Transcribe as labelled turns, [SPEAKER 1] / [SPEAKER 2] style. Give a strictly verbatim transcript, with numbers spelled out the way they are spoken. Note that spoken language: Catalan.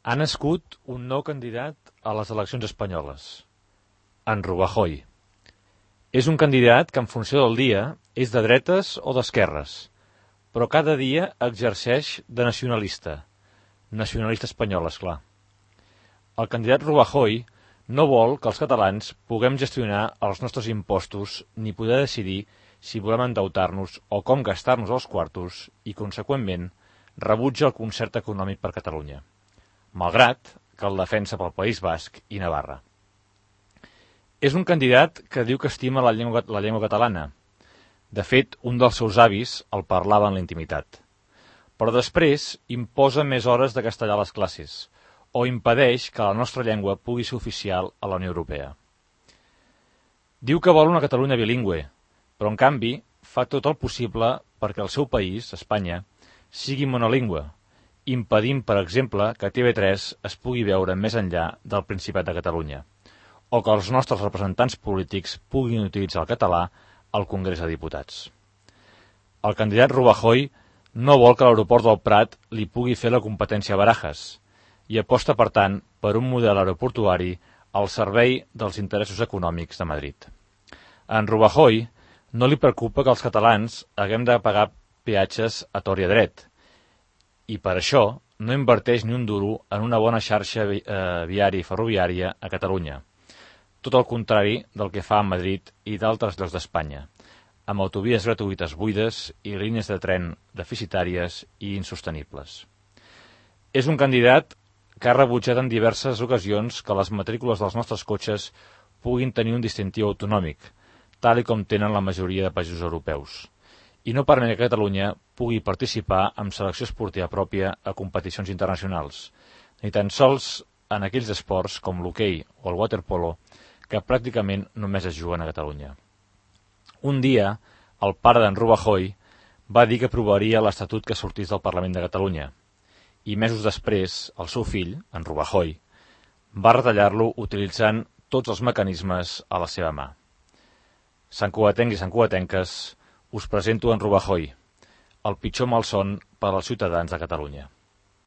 [SPEAKER 1] Ha nascut un nou candidat a les eleccions espanyoles, en Rajoy. És un candidat que en funció del dia és de dretes o d'esquerres, però cada dia exerceix de nacionalista, nacionalista espanyol, esclar. El candidat Rajoy no vol que els catalans puguem gestionar els nostres impostos ni poder decidir si volem endeutar-nos o com gastar-nos els quartos i, conseqüentment, rebutja el concert econòmic per Catalunya, malgrat que el defensa pel País Basc i Navarra. És un candidat que diu que estima la llengua, la llengua catalana. De fet, un dels seus avis el parlava en la intimitat. Però després imposa més hores de castellà a les classes o impedeix que la nostra llengua pugui ser oficial a la Unió Europea. Diu que vol una Catalunya bilingüe, però en canvi fa tot el possible perquè el seu país, Espanya, sigui monolingüe, impedint, per exemple, que T V tres es pugui veure més enllà del Principat de Catalunya, o que els nostres representants polítics puguin utilitzar el català al Congrés de Diputats. El candidat Rajoy no vol que l'aeroport del Prat li pugui fer la competència a Barajas i aposta, per tant, per un model aeroportuari al servei dels interessos econòmics de Madrid. A en Rajoy no li preocupa que els catalans haguem de pagar peatges a tort i a dret, i per això no inverteix ni un duro en una bona xarxa vi eh, viària i ferroviària a Catalunya, tot el contrari del que fa a Madrid i d'altres llocs d'Espanya, amb autovies gratuïtes buides i línies de tren deficitàries i insostenibles. És un candidat que ha rebutjat en diverses ocasions que les matrícules dels nostres cotxes puguin tenir un distintiu autonòmic, tal i com tenen la majoria de països europeus, i no permet que Catalunya pugui participar en selecció esportiva pròpia a competicions internacionals, ni tan sols en aquells esports com l'hoquei o el waterpolo que pràcticament només es juguen a Catalunya. Un dia, el pare d'en Rajoy va dir que aprovaria l'Estatut que sortís del Parlament de Catalunya, i mesos després, el seu fill, en Rajoy, va retallar-lo utilitzant tots els mecanismes a la seva mà. Santcugatencs i santcugatenques, us presento en Rajoy, el pitjor malson per als ciutadans de Catalunya.